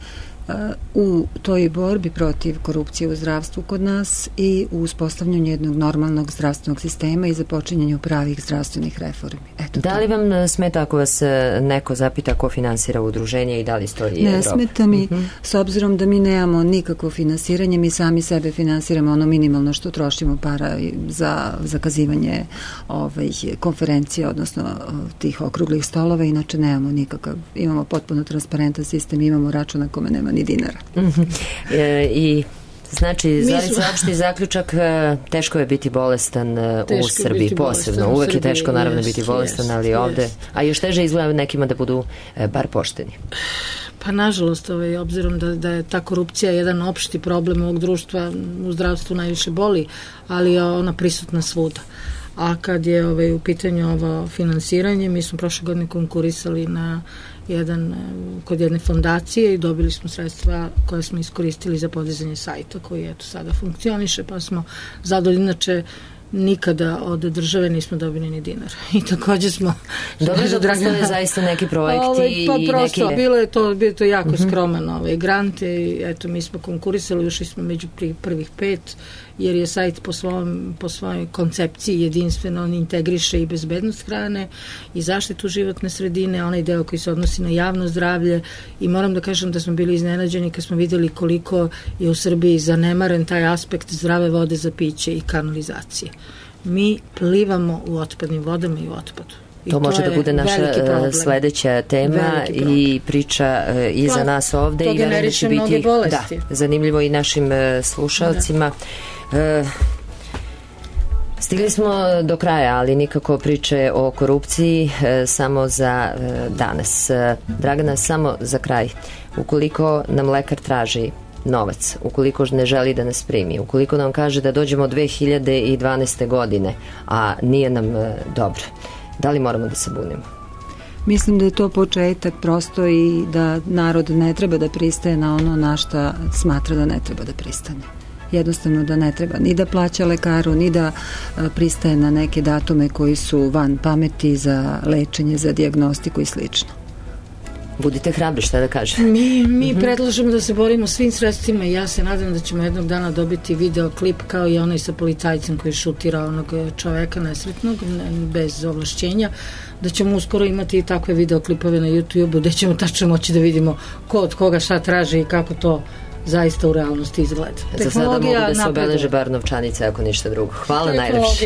u toj borbi protiv korupcije u zdravstvu kod nas i u uspostavljanju jednog normalnog zdravstvenog sistema i započinjanju pravih zdravstvenih reformi. Eto, da li vam smeta ako vas neko zapita ko finansira udruženje i da li stoji Ne smeta mi, s obzirom da mi nemamo nikakvo finansiranje, mi sami sebe finansiramo ono minimalno što trošimo para za zakazivanje konferencija, odnosno tih okruglih stolova, inače nemamo nikakav, imamo potpuno transparentan sistem, imamo račun na kome nema ni dinara. I znači, Zorica, opšti zaključak, teško je biti bolestan u Srbiji, posebno. Uvek je teško, naravno, biti bolestan, ali ovde, a još teže izgleda nekima da budu bar pošteni. Pa nažalost, obzirom da je ta korupcija jedan opšti problem ovog društva, u zdravstvu najviše boli, ali je ona prisutna svuda. A kad je u pitanju ovo finansiranje, mi smo prošle godine konkurisali kod jedne fondacije i dobili smo sredstva koje smo iskoristili za podizanje sajta koji sada funkcioniše, pa smo zadovoljni. Inače, nikada od države nismo dobili ni dinar. I takođe smo... Dobro da postoje zaista neki projekti pa prosto, bilo je to jako skroman grant i eto, mi smo konkurisali, ušli smo među prvih 5, jer je sajt po svojoj koncepciji jedinstveno, on integriše i bezbednost hrane i zaštitu životne sredine, onaj deo koji se odnosi na javno zdravlje, i moram da kažem da smo bili iznenađeni kad smo videli koliko je u Srbiji zanemaren taj aspekt zdrave vode za piće i kanalizacije. Mi plivamo u otpadnim vodama i u otpadu. To može da bude naša sledeća tema i priča i za nas ovde. To generiše mnoge bolesti. Zanimljivo i našim slušalcima. Stigli smo do kraja, ali nikako priče o korupciji samo za danas. Dragana, samo za kraj. Ukoliko nam lekar traži novac, ukoliko ne želi da nas primi, ukoliko nam kaže da dođemo 2012. godine, a nije nam dobro, da li moramo da se bunimo? Mislim da je to početak prosto i da narod ne treba da pristaje na ono na šta smatra da ne treba da pristane. Jednostavno da ne treba ni da plaća lekaru, ni da pristaje na neke datume koji su van pameti za lečenje, za dijagnostiku i slično. Budite hrabri, šta da kažem? Mi predlažemo da se borimo svim sredstvima i ja se nadam da ćemo jednog dana dobiti videoklip kao i onaj sa policajcem koji šutira onog čoveka nesretnog bez ovlašćenja, da ćemo uskoro imati i takve videoklipove na YouTube-u gde ćemo tačno moći da vidimo ko od koga šta traži i kako to zaista u realnosti izgleda. Za sada mogu da se obeleže bar novčanice, ako ništa drugo. Hvala najlepše.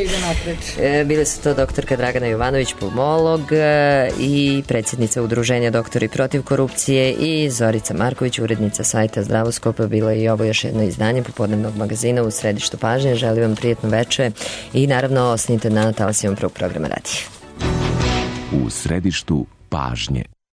Bile su to doktorka Dragana Jovanović, pulmolog i predsjednica Udruženja Doktori protiv korupcije, i Zorica Marković, urednica sajta Zdravoskopa. Bilo je i ovo još jedno izdanje popodnevnog magazina u središtu pažnje. Želim vam prijetno veče i naravno ostanite na talasima prvog programa radija. U središtu pažnje.